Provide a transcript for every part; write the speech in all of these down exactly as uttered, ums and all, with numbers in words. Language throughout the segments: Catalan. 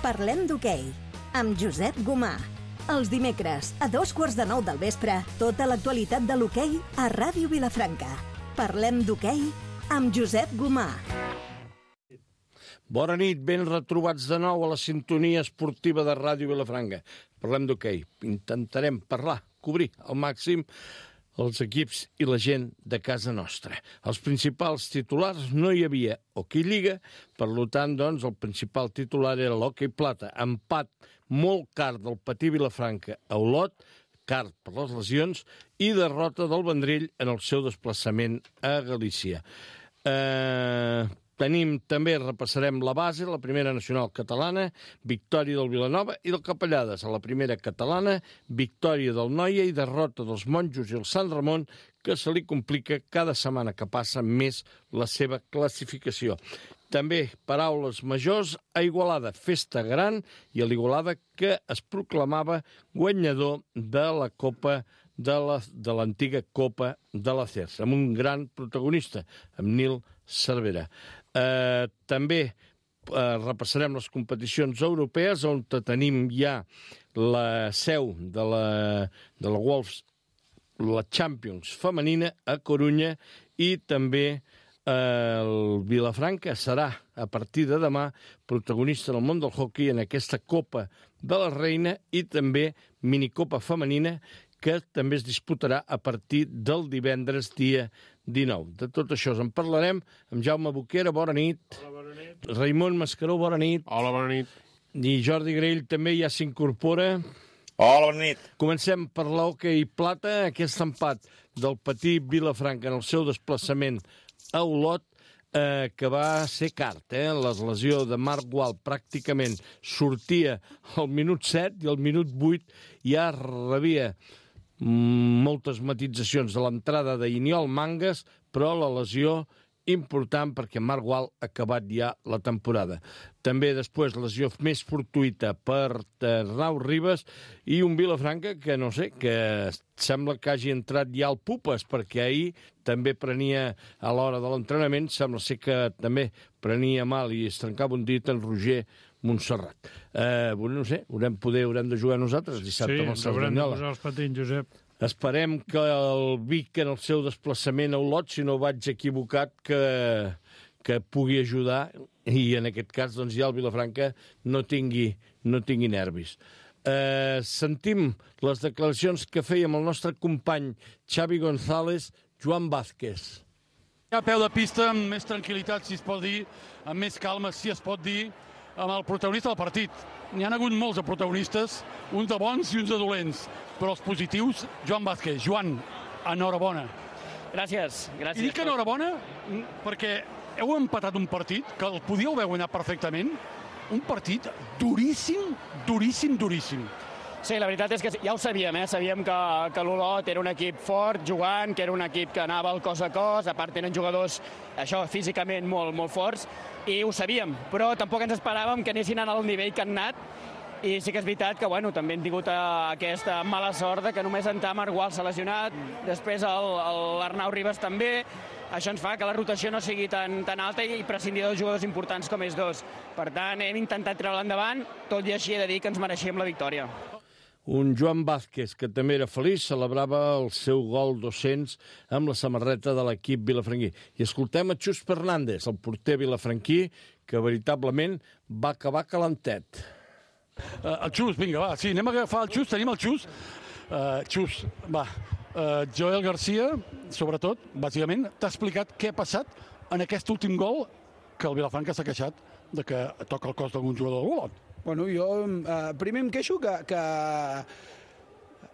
Parlem d'hoquei, amb Josep Gomà. Els dimecres, a dos quarts de nou del vespre, tota l'actualitat de l'hoquei a Ràdio Vilafranca. Parlem d'hoquei amb Josep Gomà. Bona nit, ben retrobats de nou a la sintonia esportiva de Ràdio Vilafranca. Parlem d'hoquei. Intentarem parlar, cobrir al màxim els equips i la gent de casa nostra. Els principals titulars no hi havia hoquei lliga, per tant, doncs, el principal titular era l'hoquei plata. Empat molt car del Patí Vilafranca a Olot, car per les lesions, i derrota del Vendrell en el seu desplaçament a Galícia. Eh... Tenim també, repassarem la base, la primera nacional catalana, victòria del Vilanova i del Capellades. A la primera catalana, victòria del Noia i derrota dels Monjos i el Sant Ramon, que se li complica cada setmana que passa més la seva classificació. També paraules majors a Igualada, festa gran, i a l'Igualada que es proclamava guanyador de la Copa de la, de l'antiga Copa de la C E R S, amb un gran protagonista, amb Nil Cervera. Eh, també eh, repassarem les competicions europees, on tenim ja la seu de la, de la Wolves, la Champions femenina a Corunya, i també eh, el Vilafranca serà, a partir de demà, protagonista del món del hoquei en aquesta Copa de la Reina i també minicopa femenina, que també es disputarà a partir del divendres dia dinou. De tot això en parlarem amb Jaume Boquera, bona nit. Hola, bona nit. Raimon Mascaró, bona nit. Hola, bona nit. I Jordi Grell també ja s'incorpora. Hola, bona nit. Comencem per l'hoquei plata, aquest empat del Patí Vilafranca en el seu desplaçament a Olot, eh, que va ser cart, eh? La lesió de Marc Gual pràcticament sortia al minut set i al minut vuit ja rebia moltes matitzacions de l'entrada d'Iniol Mangas, però la lesió important perquè Marc Gual ha acabat ja la temporada. També després lesió més fortuïta per Arnau Ribas i un Vilafranca que, no sé, que sembla que hagi entrat ja al pupes, perquè ahir també prenia a l'hora de l'entrenament, sembla ser que també prenia mal i es trencava un dit en Roger Montserrat. Eh, bueno, no sé, haurem, poder, haurem de jugar nosaltres dissabte sí, amb el ens haurem de Cerdanyola. posar els patins, Josep. Esperem que el Vic, en el seu desplaçament a Olot, si no vaig equivocat, que, que pugui ajudar i en aquest cas doncs, ja el Vilafranca no tingui, no tingui nervis. Eh, sentim les declaracions que fèiem el nostre company Xavi González, Joan Vázquez. A peu de pista, amb més tranquil·litat, si es pot dir, amb més calma, si es pot dir, amb el protagonista del partit. N'hi ha hagut molts de protagonistes, uns de bons i uns de dolents, però els positius, Joan Vázquez. Joan, enhorabona. Gràcies, gràcies. I dic enhorabona perquè heu empatat un partit que el podíeu haver guanyat perfectament, un partit duríssim, duríssim, duríssim. Sí, la veritat és que ja ho sabíem, eh? Sabíem que, que l'Olot era un equip fort, jugant, que era un equip que anava al cos a cos, a part tenen jugadors, això, físicament molt, molt forts, i ho sabíem, però tampoc ens esperàvem que anessin al nivell que han anat, i sí que és veritat que, bueno, també hem tingut aquesta mala sort de que només en Marc Gual s'ha lesionat, després l'Arnau Ribas també. Això ens fa que la rotació no sigui tan, tan alta i prescindir dels jugadors importants com ells dos. Per tant, hem intentat treure endavant, tot i així he de dir que ens mereixíem la victòria. Un Joan Vázquez, que també era feliç, celebrava el seu gol dos-cents amb la samarreta de l'equip vilafranquí. I escoltem a Xus Fernández, el porter vilafranquí, que veritablement va acabar calentet. Uh, el Xus, vinga, va, sí, anem a agafar el Xus, tenim el Xus. Uh, Xus, va, uh, Joel Garcia, sobretot, bàsicament, t'ha explicat què ha passat en aquest últim gol que el Vilafranca s'ha queixat de que toca el cos d'algun jugador del Olot. Bueno, jo eh, primer em queixo que, que...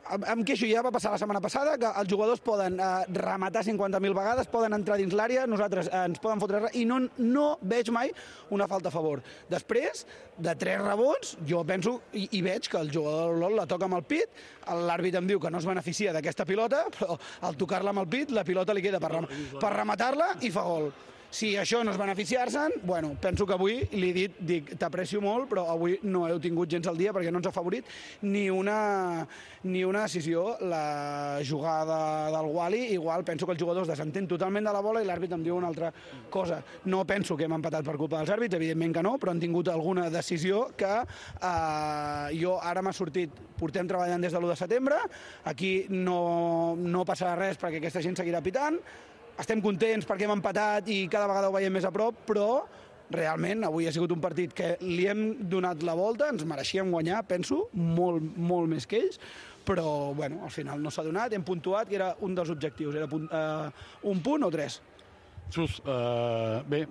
Em queixo, ja va passar la setmana passada, que els jugadors poden eh, rematar cinquanta mil vegades, poden entrar dins l'àrea, nosaltres eh, ens poden fotre res, i no, no veig mai una falta a favor. Després, de tres rebons, jo penso i, i veig que el jugador de l'Olot la toca amb el pit, l'àrbit em diu que no es beneficia d'aquesta pilota, però al tocar-la amb el pit, la pilota li queda per, rem per rematar-la i fa gol. Si això no és beneficiar-se'n, bueno, penso que avui li he dit, dic, t'aprecio molt, però avui no heu tingut gens el dia perquè no ens ha favorit ni una, ni una decisió. La jugada del Wally, igual penso que els jugadors desentén totalment de la bola i l'àrbit em diu una altra cosa. No penso que hem empatat per culpa dels àrbits, evidentment que no, però han tingut alguna decisió que eh, jo ara m'ha sortit, portem treballant des de l'u de setembre, aquí no, no passarà res perquè aquesta gent seguirà pitant, estem contents perquè hem empatat i cada vegada ho veiem més a prop, però realment avui ha sigut un partit que li hem donat la volta, ens mereixíem guanyar, penso, molt, molt més que ells, però bueno, al final no s'ha donat, hem puntuat, que era un dels objectius, era punt, uh, un punt o tres. Xus, eh, bé,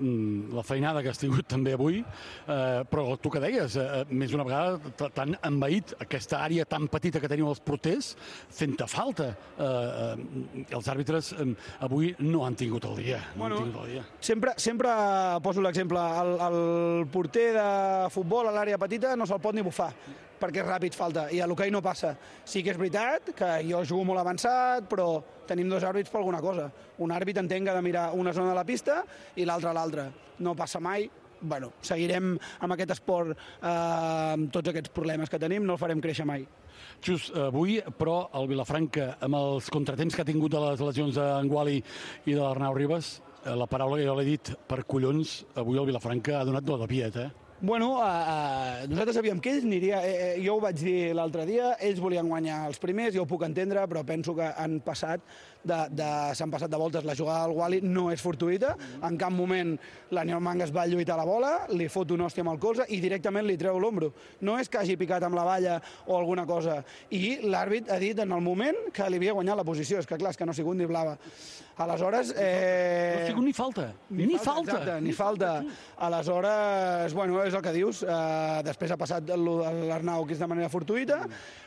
la feinada que has tingut també avui, eh, però tu que deies, eh, més d'una vegada t'han envaït aquesta àrea tan petita que teniu els porters, fent-te falta. Eh, eh, els àrbitres eh, avui no han tingut el dia. No Bueno, han tingut el dia. Sempre, sempre poso l'exemple, el, el porter de futbol a l'àrea petita no se'l pot ni bufar, perquè és ràpid falta, i a l'hoquei no passa. Sí que és veritat que jo jugo molt avançat, però tenim dos àrbits per alguna cosa. Un àrbit entenc que ha de mirar una zona de la pista i l'altra a l'altra. No passa mai. Bueno, seguirem amb aquest esport, eh, amb tots aquests problemes que tenim, no el farem créixer mai. Xus, avui, però, el Vilafranca, amb els contratemps que ha tingut de les lesions d'en Wally i de l'Arnau Ribas, la paraula que jo l'he dit, per collons, avui el Vilafranca ha donat do de piet, eh? Bueno, uh, uh, nosaltres sabíem que ells aniria, eh, jo ho vaig dir l'altre dia, ells volien guanyar els primers, jo ho puc entendre, però penso que han passat de, de, s'han passat de voltes. La jugada del Wally no és fortuïta, en cap moment l'Aniol Mangas va lluitar la bola, li fot una hòstia amb el colze i directament li treu l'ombro. No és que hagi picat amb la valla o alguna cosa. I l'àrbit ha dit en el moment que li havia guanyat la posició. És que clar, és que no ha sigut ni blava. Aleshores... Eh... No ha sigut ni falta. Ni, ni falta. Exacte, ni falta. Aleshores, bueno, és el que dius. Uh, després ha passat l'Arnau, que és de manera fortuïta.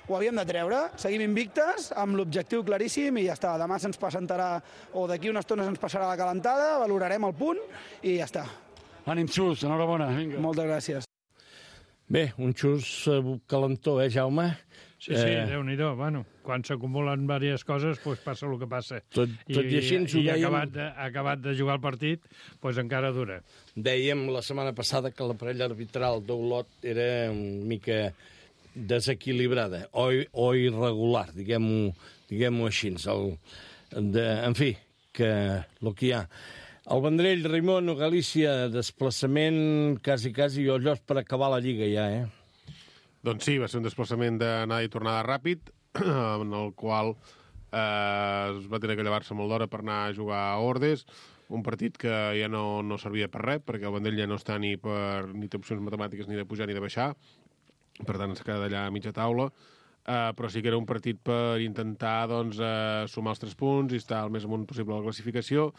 Ho havíem de treure. Seguim invictes, amb l'objectiu claríssim, i ja està. Demà se'ns presentarà, o d'aquí una estona se'ns passarà la calentada, valorarem el punt, i ja està. Ànim, Xus, enhorabona. Vinga. Moltes gràcies. Bé, un xus calentó, eh, Jaume? Sí, sí, eh... Déu-n'hi-do. Bueno, quan s'acumulen diverses coses, doncs passa el que passa. Tot, tot i, i així ens ho i dèiem... acabat de, acabat de jugar el partit, doncs encara dura. Dèiem la setmana passada que la parella arbitral d'Olot era una mica desequilibrada o, o irregular, diguem-ho diguem així. El, de, en fi, que el que hi ha. El Vendrell, Raimon, Galícia, desplaçament quasi, quasi, i Ollos per acabar la Lliga ja, eh? Doncs sí, va ser un desplaçament d'anada i tornada ràpid, en el qual eh, es va tenir que llevar-se molt d'hora per anar a jugar a Ordes, un partit que ja no, no servia per res, perquè el Vendrell ja no està ni per ni té opcions matemàtiques ni de pujar ni de baixar, per tant es queda allà a mitja taula, eh, però sí que era un partit per intentar doncs, eh, sumar els tres punts i estar el més amunt possible a la classificació.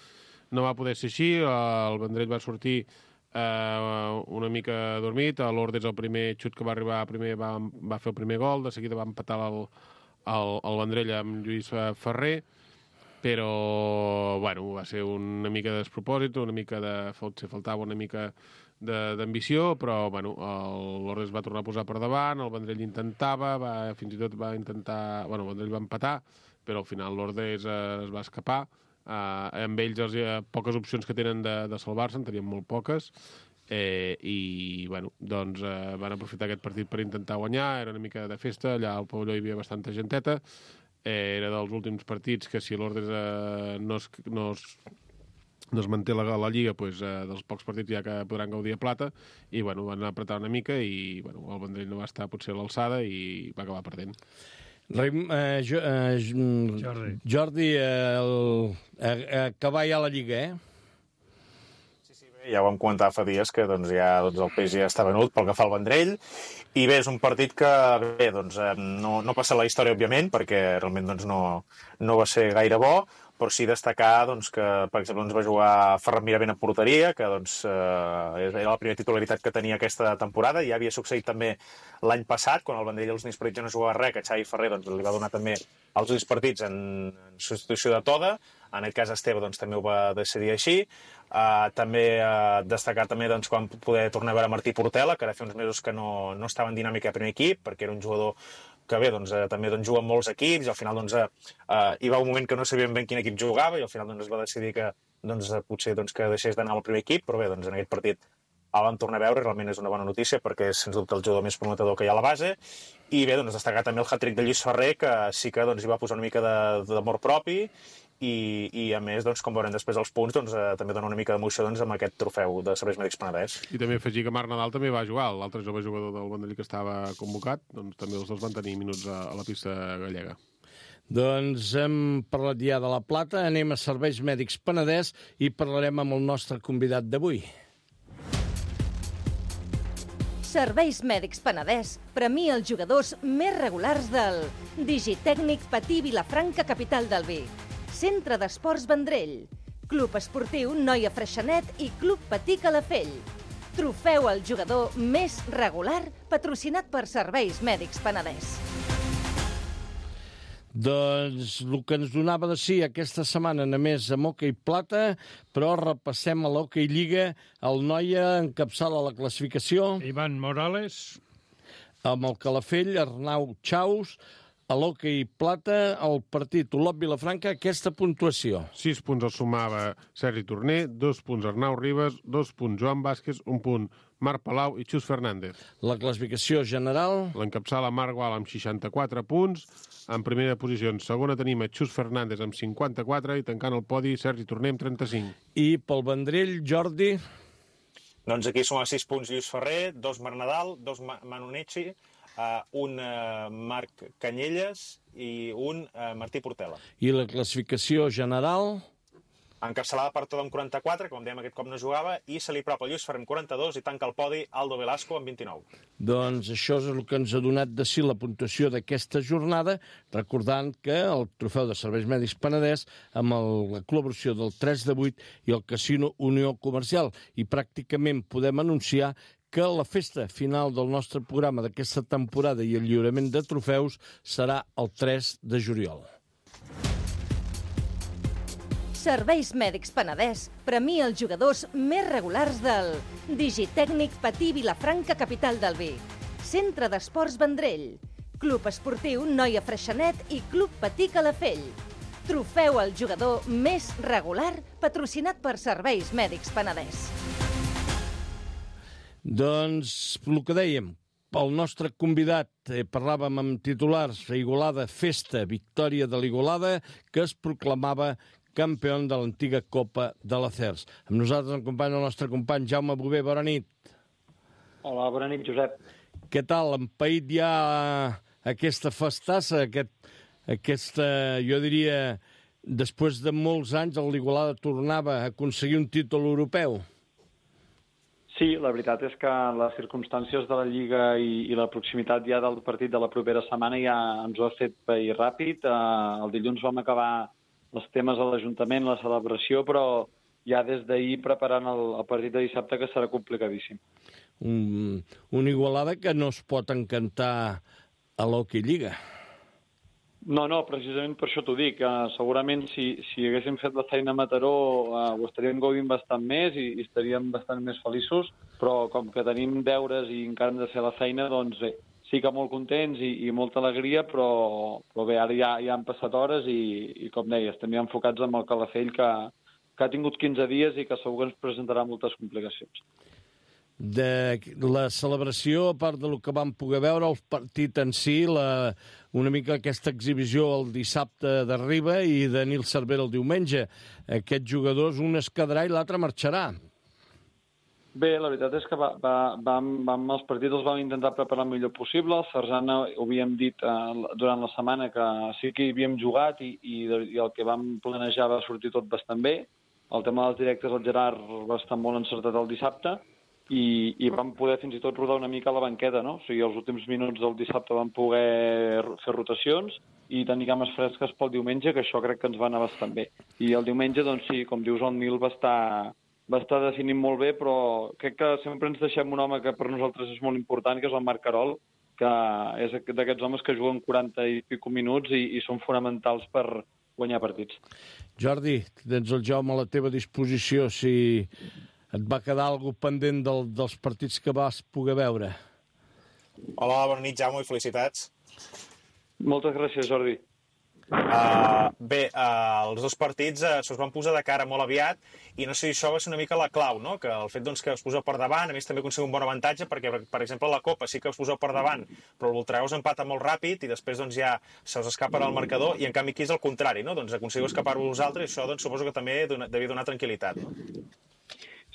No va poder ser així, el Vendrell va sortir Uh, una mica dormit. A l'Ordes el primer xut que va arribar primer va, va fer el primer gol, de seguida va empatar el, el, el Vendrell amb Lluís Ferrer, però bueno, va ser una mica de despropòsit, una mica de... faltava una mica d'ambició, però bueno, l'Ordes va tornar a posar per davant, el Vendrell intentava, va, fins i tot va intentar... Bueno, el Vendrell va empatar, però al final l'Ordes uh, es va escapar. Uh, amb ells els, uh, poques opcions que tenen de, de salvar-se, en tenien molt poques, eh, i bueno, doncs uh, van aprofitar aquest partit per intentar guanyar. Era una mica de festa, allà al pavelló hi havia bastanta genteta, eh, era dels últims partits que si l'Ordes uh, no, es, no, es, no es manté la, la Lliga, doncs, uh, dels pocs partits ja que podran gaudir a plata, i bueno, van apretar una mica i bueno, el Vendrell no va estar potser a l'alçada i va acabar perdent. Raim, eh, jo, eh, Jordi, Jordi eh, el, eh, acabar ja la Lliga, eh? Sí, sí, bé, ja ho vam comentar fa dies que doncs, ja doncs, el peix ja està venut pel que fa al Vendrell, i bé, és un partit que bé, doncs, eh, no, no passa la història, òbviament, perquè realment doncs, no, no va ser gaire bo, però sí destacar doncs, que, per exemple, doncs, va jugar Ferran Miravent a porteria, que doncs, eh, era la primera titularitat que tenia aquesta temporada. Ja havia succeït també l'any passat, quan el Vendrell els últims partits ja no jugava res, que Xavi Ferrer doncs, li va donar també els últims partits en, en substitució de Toda. En aquest cas, Esteve doncs, també ho va decidir així. Uh, també uh, destacar també doncs, quan poder tornar a veure Martí Portela, que ara fa uns mesos que no, no estava en dinàmica de primer equip, perquè era un jugador que bé, doncs, eh, també doncs, juga en molts equips, i al final doncs, eh, eh, hi va un moment que no sabíem ben quin equip jugava, i al final doncs, es va decidir que, doncs, potser doncs, que deixés d'anar al primer equip, però bé, doncs, en aquest partit el vam tornar a veure, realment és una bona notícia perquè és, sens dubte, el jugador més prometedor que hi ha a la base. I bé, doncs, destacar també el hat-trick de Lluís Ferrer, que sí que doncs, hi va posar una mica d'amor propi i, i a més, doncs, com veurem després els punts, doncs, eh, també dona una mica d'emoció doncs, amb aquest trofeu de Serveis Mèdics Penedès. I també afegir que Marc Nadal també va jugar, l'altre jove jugador del Vendrell que estava convocat, doncs també els dos van tenir minuts a, a la pista gallega. Doncs hem parlat ja de la plata, anem a Serveis Mèdics Penedès i parlarem amb el nostre convidat d'avui. Serveis Mèdics Penedès premia els jugadors més regulars del Digitècnic Patí Vilafranca, capital del vi, Centre d'Esports Vendrell, Club Esportiu Noia Freixenet i Club Patí Calafell. Trofeu al jugador més regular patrocinat per Serveis Mèdics Penedès. Doncs el que ens donava de sí aquesta setmana només amb hoquei plata, però repassem a l'hoquei lliga. El Noia encapçala la classificació. Ivan Morales. Amb el Calafell, Arnau Chaus. A l'hoquei plata, el partit Olot Vilafranca, aquesta puntuació. Sis punts el sumava Sergi Torner, dos punts Arnau Ribas, dos punts Joan Vázquez, un punt Marc Palau i Xus Fernández. La classificació general. L'encapçala Marc Gual amb seixanta-quatre punts. En primera posició, en segona tenim a Xus Fernández amb cinquanta-quatre i tancant el podi Sergi Torner amb trenta-cinc. I pel Vendrell, Jordi? Doncs aquí som a sis punts Lluís Ferrer, dos Marc Nadal, dos Manu Necci, uh, un uh, Marc Canyelles i un uh, Martí Portela. I la classificació general? Encapçalada per tot amb quaranta-quatre, com dèiem aquest cop no jugava, i se li propa Lluís Ferrer amb quaranta-dos i tanca el podi Aldo Velasco amb vint-i-nou. Doncs això és el que ens ha donat de si la puntuació d'aquesta jornada, recordant que el trofeu de Serveis Mèdics Penedès amb el, la col·laboració del tres de vuit i el Casino Unió Comercial. I pràcticament podem anunciar que la festa final del nostre programa d'aquesta temporada i el lliurament de trofeus serà el tres de juliol. Serveis Mèdics Penedès premia els jugadors més regulars del Digitècnic Patí Vilafranca, capital del vi, Centre d'Esports Vendrell, Club Esportiu Noia Freixenet i Club Patí Calafell. Trofeu al jugador més regular patrocinat per Serveis Mèdics Penedès. Doncs el que dèiem, el nostre convidat, eh, parlàvem amb titulars, Igualada Festa, victòria de l'Igualada, que es proclamava campió de l'antiga Copa de l'Acers. Amb nosaltres ens acompanya el nostre company Jaume Bové. Bona nit. Hola, bona nit, Josep. Què tal? Empaït ja aquesta festassa, aquest, aquesta, jo diria, després de molts anys l'Igualada tornava a aconseguir un títol europeu? Sí, la veritat és que les circumstàncies de la Lliga i, i la proximitat ja del partit de la propera setmana ja ens ho ha fet pair ràpid. Uh, el dilluns vam acabar els temes a l'Ajuntament, la celebració, però ja des d'ahir preparant el, el partit de dissabte, que serà complicadíssim. Un, un Igualada que no es pot encantar a l'Hockey Lliga. No, no, precisament per això t'ho dic. Uh, segurament si, si haguéssim fet la feina a Mataró uh, ho estaríem gaudint bastant més i, i estaríem bastant més feliços, però com que tenim deures i encara hem de fer la feina, doncs bé, sí que molt contents i, i molta alegria, però, però bé, ara ja, ja han passat hores i, i com deies, estem ja enfocats amb el Calafell, que, que ha tingut quinze dies i que segur que ens presentarà moltes complicacions. De la celebració, a part del que vam poder veure, el partit en si, la, una mica aquesta exhibició el dissabte d'arriba i de Nil Cervera el diumenge. Aquests jugadors, un es quedarà i l'altre marxarà. Bé, la veritat és que va, va, vam, vam, els partits els vam intentar preparar el millor possible. El Sarzana ho havíem dit eh, durant la setmana que sí que hi havíem jugat i, i, i el que vam planejar va sortir tot bastant bé. El tema dels directes, el Gerard va estar molt encertat el dissabte i, i vam poder fins i tot rodar una mica a la banqueta, no? O sigui, els últims minuts del dissabte vam poder fer rotacions i tenir cames fresques pel diumenge, que això crec que ens va anar bastant bé. I el diumenge, doncs sí, com dius, el Nil va estar... va estar definint molt bé, però crec que sempre ens deixem un home que per nosaltres és molt important, que és el Marc Carol, que és d'aquests homes que juguen quaranta i pico minuts i, i són fonamentals per guanyar partits. Jordi, tens el Jaume a la teva disposició, si et va quedar alguna cosa pendent del, dels partits que vas poder veure. Hola, bona nit, Jaume, i felicitats. Moltes gràcies, Jordi. Uh, bé, uh, els dos partits uh, se'ls van posar de cara molt aviat i no sé si això va ser una mica la clau, no? Que el fet doncs, que us poseu per davant, a més també aconseguiu un bon avantatge perquè, per exemple, la Copa sí que us poseu per davant, però el Voltregà us empata molt ràpid i després doncs, ja se us escapa el marcador i en canvi aquí és el contrari, no? Doncs aconseguiu escapar-vos vosaltres i això doncs, suposo que també dona, devia donar tranquil·litat, no?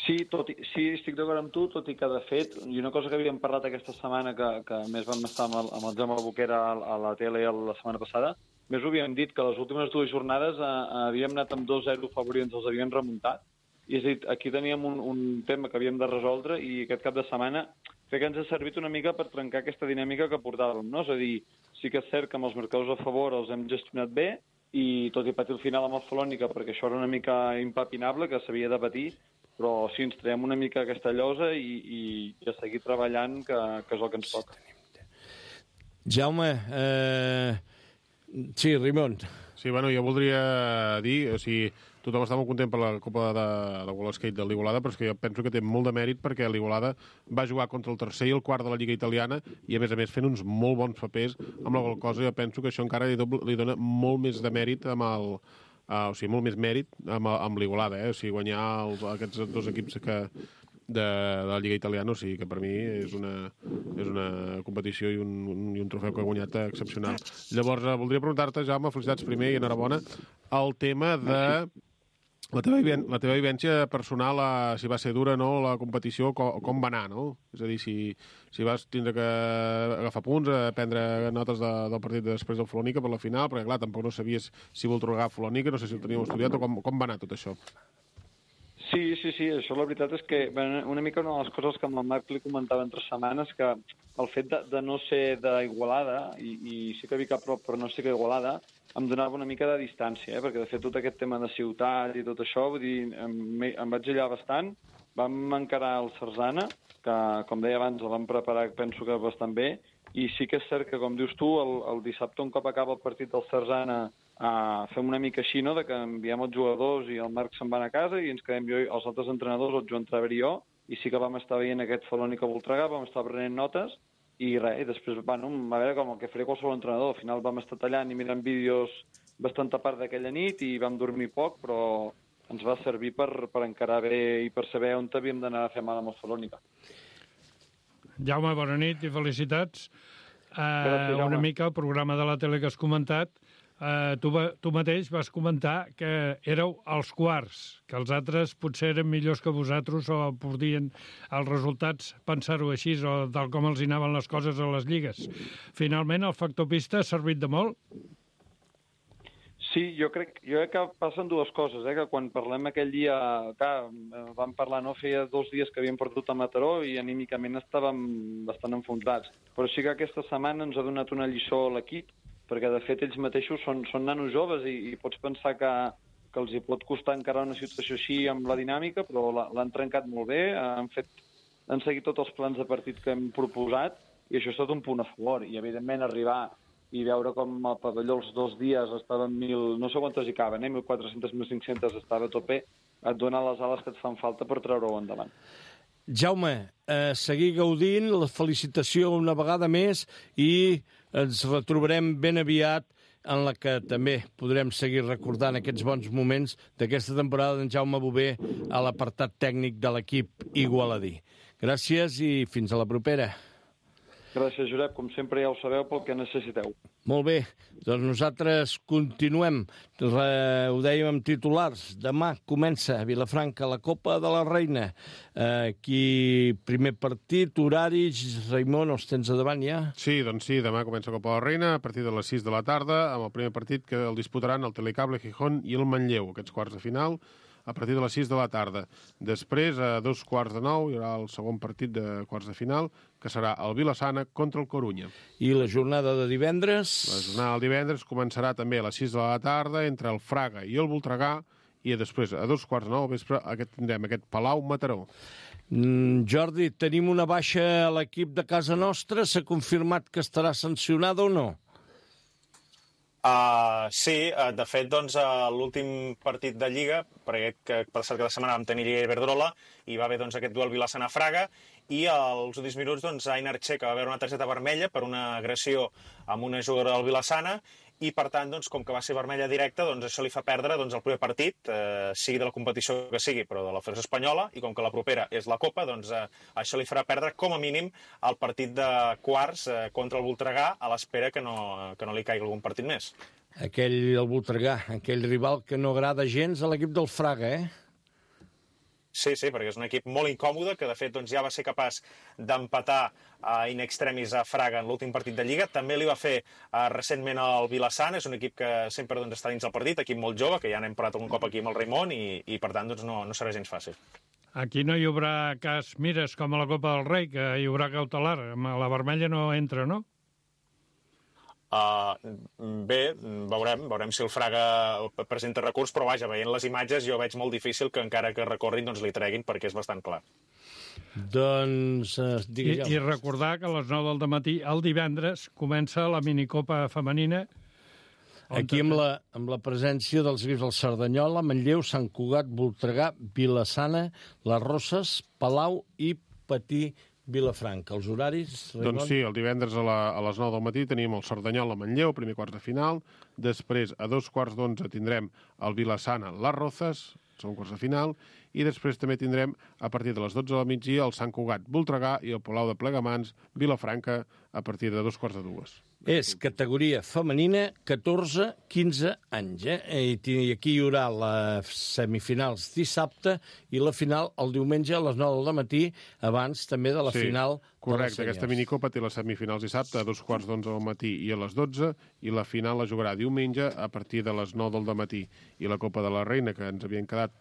Sí, tot i, sí, estic d'acord amb tu, tot i que, de fet, i una cosa que havíem parlat aquesta setmana, que, que més vam estar amb el, amb el Jaume Boquera a, a la tele la setmana passada, més ho havíem dit, que les últimes dues jornades eh, havíem anat amb dos zero favorits, ens els havien remuntat, i és a dir, aquí teníem un, un tema que havíem de resoldre i aquest cap de setmana crec que ens ha servit una mica per trencar aquesta dinàmica que portàvem, no? És a dir, sí que és cert que amb els marcadors a favor els hem gestionat bé, i tot i patir el final amb el Folònica, perquè això era una mica impapinable, que s'havia de patir, però sí, ens traiem una mica aquesta llosa i, i, i a seguir treballant, que, que és el que ens toca. Jaume, eh... sí, Raimon. Sí, bueno, jo voldria dir, o sigui, tothom està molt content per la Copa de, de World Skate de l'Igualada, però és que jo penso que té molt de mèrit perquè l'Igualada va jugar contra el tercer i el quart de la Lliga Italiana i, a més a més, fent uns molt bons papers amb la qual cosa jo penso que això encara li, doble, li dona molt més de mèrit amb el... Uh, o sigui, molt més mèrit amb, amb l'Igualada, eh? O sigui, guanyar els, aquests dos equips que, de, de la Lliga Italiana, o sigui, que per mi és una, és una competició i un, un, i un trofeu que ha guanyat excepcional. Llavors, uh, voldria preguntar-te, Jaume, felicitats primer i enhorabona, el tema de la teva, la teva vivència personal, uh, si va ser dura, no?, la competició, com, com va anar, no? És a dir, si, si vas tindre que agafar punts, a prendre notes de, del partit després del Folònica per la final, perquè, clar, tampoc no sabies si Voltregà Folònica, no sé si ho teníeu estudiat o com, com va anar tot això. Sí, sí, sí, això la veritat és que una mica una de les coses que amb el Marc li comentava entre setmanes, que el fet de, de no ser d'Igualada, i, i sí que Vic a prop, però no sé que Igualada, em donava una mica de distància, eh? Perquè de fet tot aquest tema de ciutat i tot això, vull dir, em, em vaig allà bastant, vam encarar el Sarzana, que com deia abans el vam preparar, penso que bastant bé, i sí que és cert que, com dius tu, el, el dissabte un cop acaba el partit del Sarzana, Uh, fem una mica així, no?, de que enviem els jugadors i el Marc se'n va a casa i ens quedem jo i els altres entrenadors, el Joan Traver i jo, i sí que vam estar veient aquest Folònica Voltregà, vam estar prenent notes i res, i després, bueno, a veure com el que faré qualsevol entrenador, al final vam estar tallant i mirant vídeos bastanta part d'aquella nit i vam dormir poc, però ens va servir per, per encarar bé i per saber on havíem d'anar a fer mal amb el Folònica. Jaume, bona nit i felicitats. Uh, Gràcies, una Jaume. mica el programa de la tele que has comentat. Uh, tu, va, tu mateix vas comentar que éreu els quarts, que els altres potser eren millors que vosaltres o podien els resultats pensar-ho així o tal com els hi anaven les coses a les lligues. Finalment, el factor pista ha servit de molt? Sí, jo crec, jo crec que passen dues coses, eh? Que quan parlem aquell dia, clar, vam parlar, no? Feia dos dies que havíem perdut a Mataró i anímicament estàvem bastant enfonsats. Però sí que aquesta setmana ens ha donat una lliçó a l'equip, perquè de fet ells mateixos són, són nanos joves i, i pots pensar que, que els hi pot costar encarar una situació així amb la dinàmica, però l'han trencat molt bé, han, fet, han seguit tots els plans de partit que hem proposat i això ha estat un punt a favor. I evidentment arribar i veure com el pavelló els dos dies estaven mil, no sé quantes hi caben, eh? mil quatre-cents, mil cinc-cents estava a tope, et dona les ales que et fan falta per treure-ho endavant. Jaume, eh, seguir gaudint, la felicitació una vegada més i ens retrobarem ben aviat en la que també podrem seguir recordant aquests bons moments d'aquesta temporada d'en Jaume Bové a l'apartat tècnic de l'equip igualadí. Gràcies i fins a la propera. Gràcies, Josep. Com sempre ja ho sabeu pel que necessiteu. Molt bé, doncs nosaltres continuem. Re, ho dèiem amb titulars. Demà comença a Vilafranca la Copa de la Reina. Eh, aquí, primer partit, horaris. Raimon, els tens a davant ja? Sí, doncs sí, demà comença la Copa de la Reina a partir de les sis de la tarda, amb el primer partit que el disputaran el Telecable Gijón i el Manlleu, aquests quarts de final, a partir de les sis de la tarda. Després, a dos quarts de nou, hi haurà el segon partit de quarts de final, que serà el Vilassana contra el Corunya. I la jornada de divendres? La jornada del divendres començarà també a les sis de la tarda entre el Fraga i el Voltregà, i després, a dos quarts de nou, al vespre, aquest, tindrem aquest Palau-Mataró. Mm, Jordi, tenim una baixa a l'equip de casa nostra? S'ha confirmat que estarà sancionada o no? Uh, sí, uh, de fet, doncs, uh, l'últim partit de Lliga, perquè que per cert que la setmana vam tenir Lliga i Iberdrola, i va haver doncs, aquest duel Vilassana-Fraga, i als últims minuts doncs, Ainar Che, que va veure una targeta vermella per una agressió amb una jugadora del Vilassana, i per tant, doncs, com que va ser vermella directa, doncs això li fa perdre doncs, el primer partit, eh, sigui de la competició que sigui, però de la Federació Espanyola, i com que la propera és la Copa, doncs eh, això li farà perdre com a mínim el partit de quarts eh, contra el Voltregà, a l'espera que no, que no li caigui algun partit més. Aquell, el Voltregà, aquell rival que no agrada gens a l'equip del Fraga, eh? Sí, sí, perquè és un equip molt incòmode, que de fet doncs, ja va ser capaç d'empatar uh, in extremis a Fraga en l'últim partit de Lliga. També li va fer uh, recentment al Vilassana, és un equip que sempre doncs, està dins del partit, equip molt jove, que ja n'hem parlat algun cop aquí amb el Raimon, i, i per tant doncs, no, no serà gens fàcil. Aquí no hi haurà cas mires com a la Copa del Rei, que hi haurà cautelar. La vermella no entra, no? Uh, bé, veurem, veurem si el Fraga presenta recurs, però vaja, veient les imatges jo veig molt difícil que encara que recorrin doncs li treguin, perquè és bastant clar. Doncs, uh, I, I recordar que a les nou del dematí, el divendres, comença la minicopa femenina. Aquí amb la, amb la presència dels equips del Cerdanyola, Manlleu, Sant Cugat, Voltregà, Vilassana, Les Roses, Palau i Patí Vilafranca. Els horaris? Raimon? Doncs sí, el divendres a, la, a les nou del matí tenim el Cerdanyola a Manlleu, primer quarts de final. Després, a dos quarts d'onze, tindrem el Vilassana, Les Rozas, segon quarts de final. I després també tindrem, a partir de les dotze del migdia, el Sant Cugat, Voltregà i el Palau de Plegamans, Vilafranca, a partir de dos quarts de dues. És categoria femenina, catorze a quinze anys. Eh? I aquí hi haurà les semifinals dissabte i la final el diumenge a les nou del matí, abans també de la sí, final. Correcte, aquesta minicopa té les semifinals dissabte a dos quarts d'onze del matí i a les dotze, i la final la jugarà diumenge a partir de les nou del matí. I la Copa de la Reina, que ens havien quedat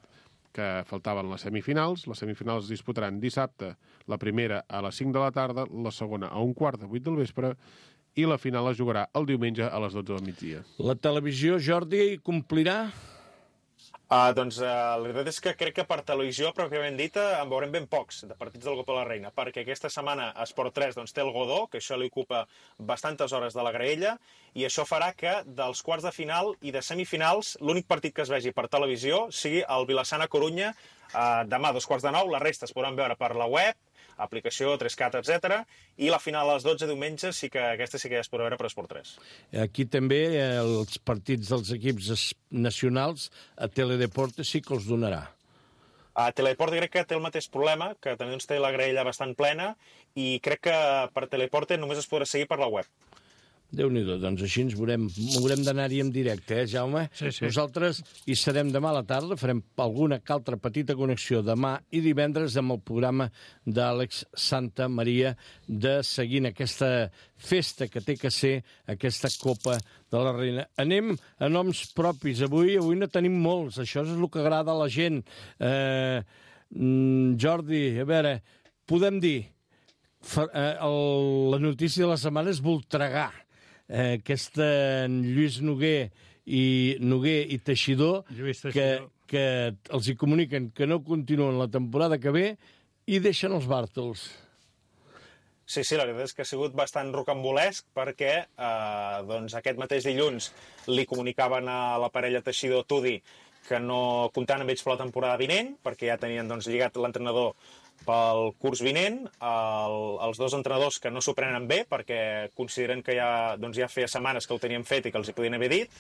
que faltaven les semifinals. Les semifinals es disputaran dissabte, la primera a les cinc de la tarda, la segona a un quart de vuit del vespre, i la final es jugarà el diumenge a les dotze del migdia. La televisió, Jordi, hi complirà? Uh, doncs uh, la veritat és que crec que per televisió, pròpiament dita, en veurem ben pocs de partits de la Copa de la Reina, perquè aquesta setmana Esport tres doncs, té el Godó, que això li ocupa bastantes hores de la graella, i això farà que dels quarts de final i de semifinals l'únic partit que es vegi per televisió sigui el Vilassana-Corunya uh, demà a dos quarts de nou. La resta es podran veure per la web, aplicació, tres cat, etcètera, i la final a les dotze diumenge sí que aquesta sí que ja es podrà veure per Esport tres. Aquí també eh, els partits dels equips nacionals a Teledeporte sí que els donarà. A Teledeporte crec que té el mateix problema, que també doncs, té la graella bastant plena, i crec que per Teledeporte només es podrà seguir per la web. Déu-n'hi-do, doncs així ens veurem, haurem d'anar-hi en directe, eh, Jaume? Sí, sí. Nosaltres hi serem demà a la tarda, farem alguna altra petita connexió demà i divendres amb el programa d'Àlex Santa Maria de seguint aquesta festa que té que ser aquesta Copa de la Reina. Anem a noms propis. Avui avui no tenim molts, això és el que agrada a la gent. Eh, Jordi, a veure, podem dir, eh, el, la notícia de la setmana és Voltregà. Eh, aquesta Lluís Noguer i Noguer i Teixidor, Teixidor. Que, que els hi comuniquen que no continuen la temporada que ve i deixen els Bàrtols. Sí, sí, la veritat és que ha sigut bastant rocambolesc perquè eh, doncs aquest mateix dilluns li comunicaven a la parella Teixidor-Tudi que no comptaven amb ells per la temporada vinent, perquè ja tenien doncs, lligat l'entrenador pel curs vinent. El, els dos entrenadors que no s'ho prenen bé perquè consideren que ja, doncs, ja feia setmanes que ho tenien fet i que els hi podien haver dit,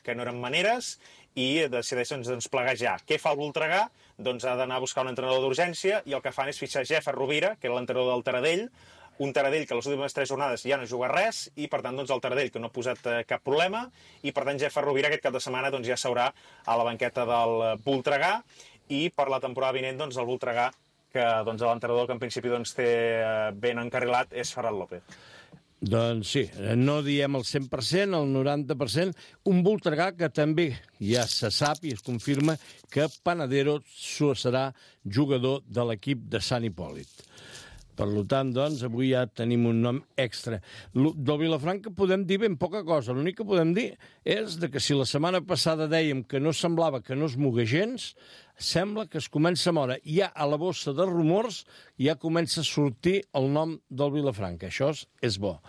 que no eren maneres, i decideixen doncs, plegar ja. Què fa el Voltregà? Doncs ha d'anar a buscar un entrenador d'urgència, i el que fan és fitxar Jeffer Rovira, que era l'entrenador del Taradell, un Taradell que les últimes tres jornades ja no juga res, i per tant doncs, el Taradell que no ha posat eh, cap problema, i per tant Jeffer Rovira aquest cap de setmana doncs, ja s'haurà a la banqueta del Voltregà, i per la temporada vinent doncs, el Voltregà, que doncs, l'entrenador que en principi doncs, té ben encarrilat és Ferran López. Doncs sí, no diem el cent per cent, el noranta per cent. Un Voltregà que també ja se sap i es confirma que Panadero serà jugador de l'equip de Sant Hipòlit. Per tant, doncs, avui ja tenim un nom extra. Del Vilafranca podem dir ben poca cosa. L'únic que podem dir és de que si la setmana passada dèiem que no semblava que no es mogués gens, sembla que es comença a moure. Ja a la bossa de rumors ja comença a sortir el nom del Vilafranca. Això és bo.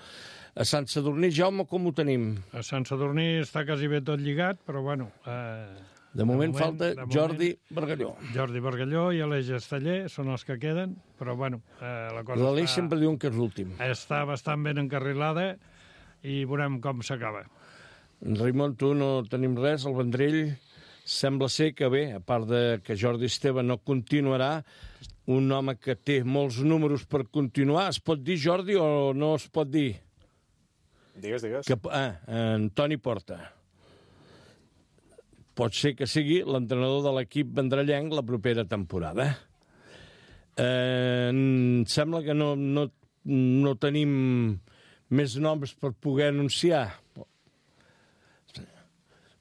A Sant Sadurní, Jaume, com ho tenim? A Sant Sadurní està quasi bé tot lligat, però bueno... Eh... De moment, de moment falta de moment, Jordi Bargalló. Jordi Bargalló i Aleix Esteller són els que queden, però bueno, eh, la cosa L'Aleix està... sempre diuen que és l'últim. Està bastant ben encarrilada i veurem com s'acaba. Raimon, tu no tenim res, el Vendrell sembla ser que bé, a part de que Jordi Esteve no continuarà, un home que té molts números per continuar, es pot dir, Jordi, o no es pot dir? Digues, digues. Que, ah, Antoni Porta. Pot ser que sigui l'entrenador de l'equip vendrellenc la propera temporada. Eh, em sembla que no, no, no tenim més noms per poder anunciar.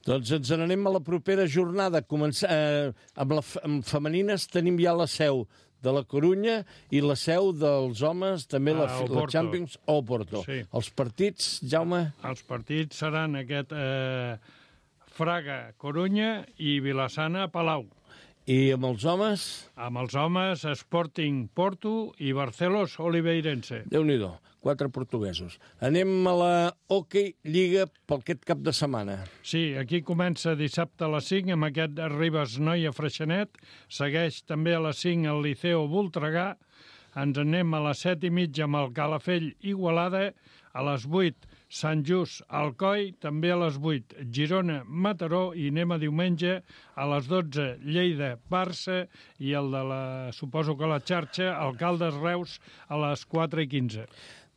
Doncs ens n'anem a la propera jornada. Començar, eh, amb, la, amb femenines tenim ja la seu de la Corunya i la seu dels homes, també la, Ah, la Champions, o Porto. Sí. Els partits, Jaume? Els partits seran aquest eh, Fraga, Corunya i Vilassana, Palau. I amb els homes? Amb els homes, Sporting, Porto i Barcelos, Oliveirense. Déu-n'hi-do, quatre portuguesos. Anem a la Hockey Lliga pel aquest cap de setmana. Sí, aquí comença dissabte a les cinc amb aquest Ribes Noia Freixenet. Segueix també a les cinc el Liceo Voltregà. Ens anem a les set i mitja amb el Calafell Igualada. A les vuit, Sant Just Alcoi, també a les vuit, Girona Mataró, i anem a diumenge a les dotze, Lleida Barça, i el de la, suposo que la xarxa, Alcaldes Reus, a les quatre i quinze.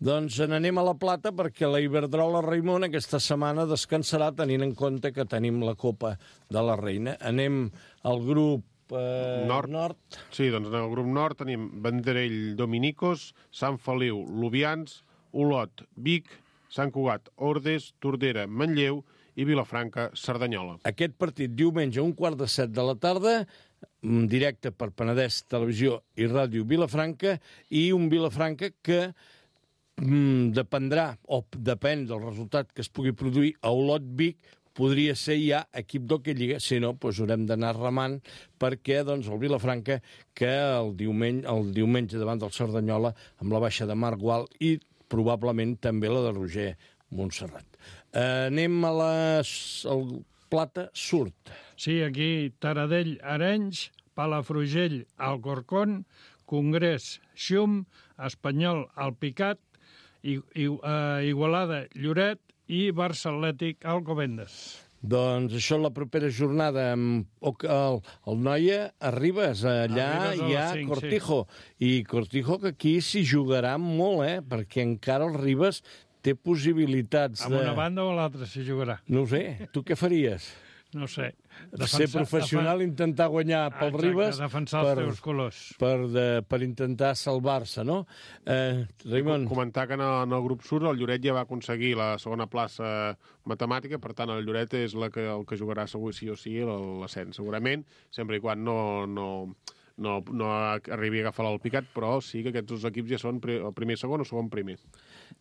Doncs n'anem a la Plata perquè la Iberdrola Raimon aquesta setmana descansarà tenint en compte que tenim la Copa de la Reina. Anem al grup eh, Nord. Nord. Sí, doncs en el grup Nord tenim Vendrell Dominicos, Sant Feliu Lubians, Olot Vic, Sant Cugat Ordes, Tordera Manlleu i Vilafranca Cerdanyola. Aquest partit diumenge a un quart de set de la tarda, en directe per Penedès Televisió i Ràdio Vilafranca, i un Vilafranca que mm, dependrà, o depèn del resultat que es pugui produir a Olot Vic, podria ser ja equip d'Hockey Lliga, si no, doncs haurem d'anar remant perquè doncs, el Vilafranca, que el diumenge, el diumenge davant del Cerdanyola, amb la baixa de Marc Gual i probablement també la de Roger Montserrat. Eh, anem a la el Plata Surt. Sí, aquí Taradell Arenys, Palafrugell Alcorcón, Congrés Xum, Espanyol Alpicat, I, I, uh, Igualada Lloret i Barça Atlètic Alcobendas. Doncs això la propera jornada amb el, el Noia a Ribes, allà a Ribes hi ha cinc, Cortijo. Sí. I Cortijo que aquí s'hi jugarà molt, eh? Perquè encara el Ribes té possibilitats Amb de... una banda o l'altra s'hi jugarà. No ho sé, tu què faries? No sé. Defensar, ser professional, defen... intentar guanyar pel Exacte, Ribes... defensar els per, teus colors. Per, de, per intentar salvar-se, no? Eh, Raimon... Comentar que en el, en el grup Surt el Lloret ja va aconseguir la segona plaça matemàtica, per tant el Lloret és la que, el que jugarà segur sí o sí l'ascens, segurament, sempre i quan no... no... No, no arribi a agafar l'Alpicat, però sí que aquests dos equips ja són el primer segon o segon primer.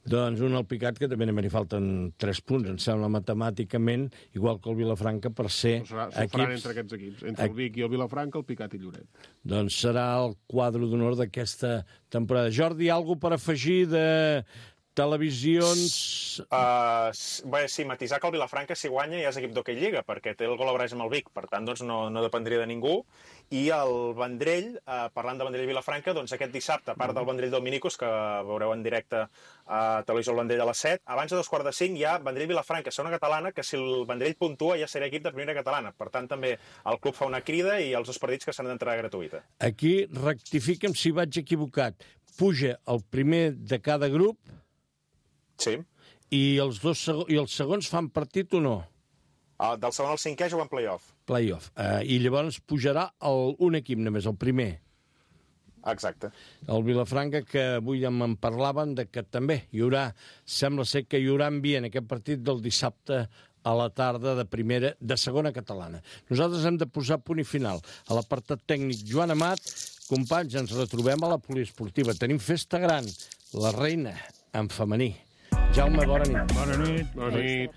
Doncs un Alpicat que també n'hi falten tres punts, em sembla, matemàticament, igual que el Vilafranca, per ser no serà, equips... faran entre aquests equips, entre el Vic i el Vilafranca, el Picat i Lloret. Doncs serà el quadre d'honor d'aquesta temporada. Jordi, alguna per afegir de televisions... Uh, bé, sí, matisar que el Vilafranca, si guanya, ja és equip d'Hockey Lliga, perquè té el gol a amb el Vic, per tant, doncs, no, no dependria de ningú. I el Vendrell, uh, parlant de Vendrell i Vilafranca, doncs aquest dissabte, a part del Vendrell Dominicos, que veureu en directe a Televisió el Vendrell a les set, abans de dos quarts de cinc hi ha Vendrell Vilafranca, segona catalana, que si el Vendrell puntua ja serà equip de primera catalana. Per tant, també el club fa una crida i els dos partits que s'han d'entrar gratuïta. Aquí rectifica'm si vaig equivocat. Puja el primer de cada grup. Sí. I els, dos seg i els segons fan partit o no? Uh, del segon al cinquè juguen play-off. Play-off. Uh, I llavors pujarà el, un equip només, el primer. Exacte. El Vilafranca, que avui em parlaven de que també hi haurà, sembla ser que hi haurà ambient aquest partit del dissabte a la tarda de primera, de segona catalana. Nosaltres hem de posar punt i final. A l'apartat tècnic, Joan Amat, companys, ens retrobem a la poliesportiva. Tenim festa gran, la reina en femení. Jaume, bona nit. Bona nit. Bona nit.